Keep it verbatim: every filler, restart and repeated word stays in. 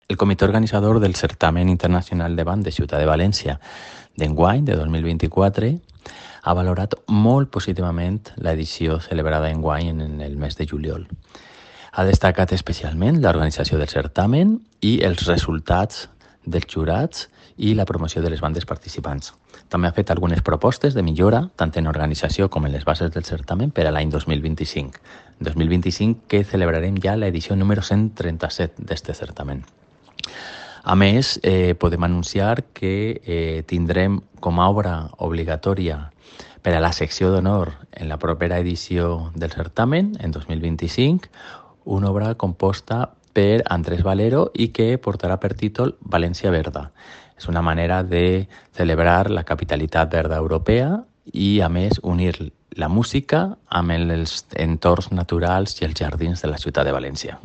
El comitè organitzador del Certamen Internacional de Band de Ciutat de València d'enguany, de dos mil vint-i-quatre, ha valorat molt positivament l'edició celebrada enguany en el mes de juliol. Ha destacat especialment l'organització del certamen i els resultats dels jurats i la promoció de les bandes participants. També ha fet algunes propostes de millora, tant en organització com en les bases del certamen, per a l'any dos mil vint-i-cinc. dos mil vint-i-cinc que celebrarem ja l'edició número cent trenta-set d'aquest certamen. A més, eh, podem anunciar que eh, tindrem com a obra obligatòria per a la secció d'honor en la propera edició del certamen, en dos mil vint-i-cinc, una obra composta per Andrés Valero i que portarà per títol València Verda. És una manera de celebrar la capitalitat verda europea i, a més, unir la música amb els entorns naturals i els jardins de la ciutat de València.